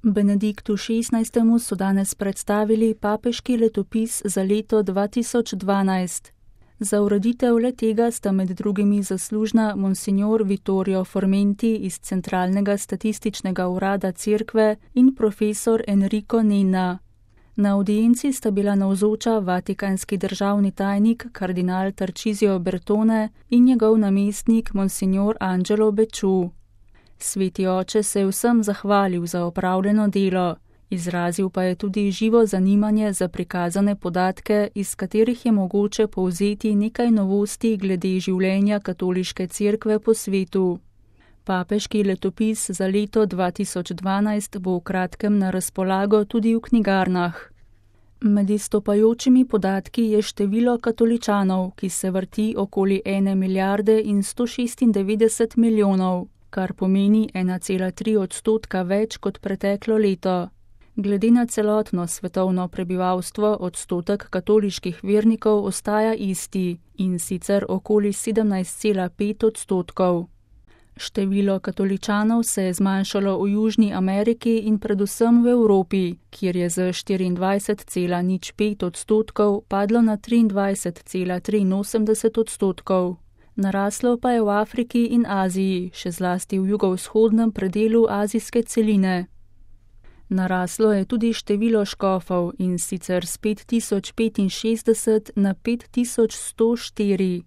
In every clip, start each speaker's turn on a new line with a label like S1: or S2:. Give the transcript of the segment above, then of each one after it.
S1: Benediktu XVI. So danes predstavili papeški letopis za leto 2012. Za ureditev le-tega sta med drugimi zaslužna monsignor Vittorio Formenti iz Centralnega statističnega urada Cerkve in profesor Enrico Nenna. Na avdienci sta bila navzoča vatikanski državni tajnik kardinal Tarcisio Bertone in njegov namestnik monsignor Angelo Becciu. Sveti oče se je vsem zahvalil za opravljeno delo, izrazil pa je tudi živo zanimanje za prikazane podatke, iz katerih je mogoče povzeti nekaj novosti glede življenja katoliške cerkve po svetu. Papeški letopis za leto 2012 bo v kratkem na razpolago tudi v knjigarnah. Med izstopajočimi podatki je število katoličanov, ki se vrti okoli 1 milijarde in 196 milijonov, kar pomeni 1,3% več kot preteklo leto. Glede na celotno svetovno prebivalstvo odstotek katoliških vernikov ostaja isti, in sicer okoli 17,5%. Število katoličanov se je zmanjšalo v Južni Ameriki in predvsem v Evropi, kjer je z 24,05% padlo na 23,83%. Naraslo pa je v Afriki in Aziji, še zlasti v jugovzhodnem predelu azijske celine. Naraslo je tudi število škofov, in sicer s 5065 na 5104.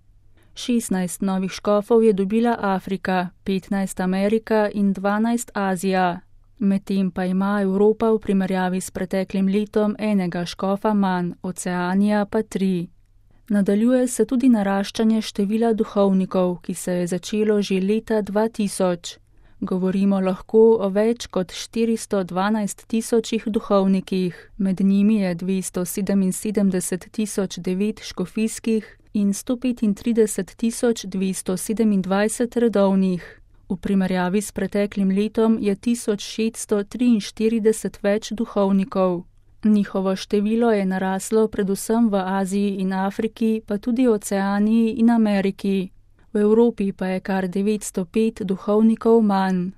S1: 16 novih škofov je dobila Afrika, 15 Amerika in 12 Azija. Medtem pa ima Evropa v primerjavi s preteklim letom enega škofa manj, Oceanija pa 3. Nadaljuje se tudi naraščanje števila duhovnikov, ki se je začelo že leta 2000. Govorimo lahko o več kot 412 tisočih duhovnikih, med njimi je 277.009 škofijskih in 135.227 redovnih. V primerjavi s preteklim letom je 1643 več duhovnikov. Njihovo število je naraslo predvsem v Aziji in Afriki, pa tudi Oceaniji in Ameriki. V Evropi pa je kar 905 duhovnikov manj.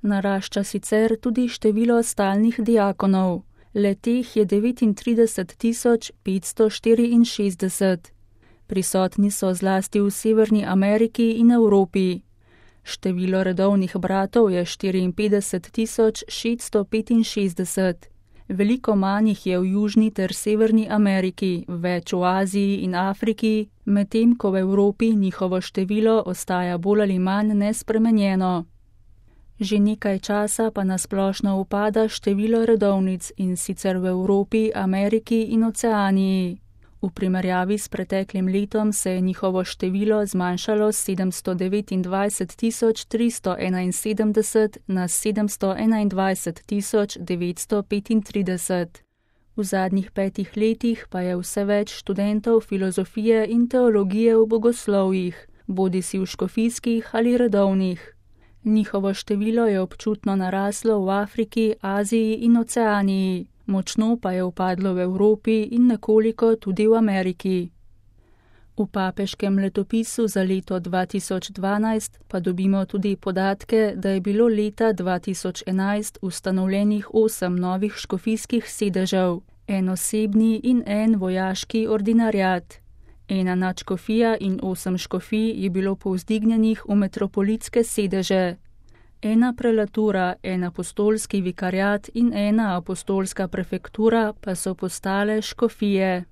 S1: Narašča sicer tudi število stalnih diakonov. Le-teh je 39.564. Prisotni so zlasti v Severni Ameriki in Evropi. Število redovnih bratov je 54.665. Veliko manj jih je v Južni ter Severni Ameriki, več v Aziji in Afriki, medtem ko v Evropi njihovo število ostaja bolj ali manj nespremenjeno. Že nekaj časa pa nasplošno upada število redovnic, in sicer v Evropi, Ameriki in Oceaniji. V primerjavi s preteklim letom se je njihovo število zmanjšalo s 729.371 na 721.935. V zadnjih 5 letih pa je vse več študentov filozofije in teologije v bogoslovjih, bodisi v škofijskih ali redovnih. Njihovo število je občutno naraslo v Afriki, Aziji in Oceaniji. Močno pa je upadlo v Evropi in nekoliko tudi v Ameriki. V papeškem letopisu za leto 2012 pa dobimo tudi podatke, da je bilo leta 2011 ustanovljenih 8 novih škofijskih sedežev, en osebni in en vojaški ordinariat. Ena nadškofija in 8 škofij je bilo povzdignjenih v metropolitske sedeže. Ena prelatura, en apostolski vikariat in ena apostolska prefektura pa so postale škofije.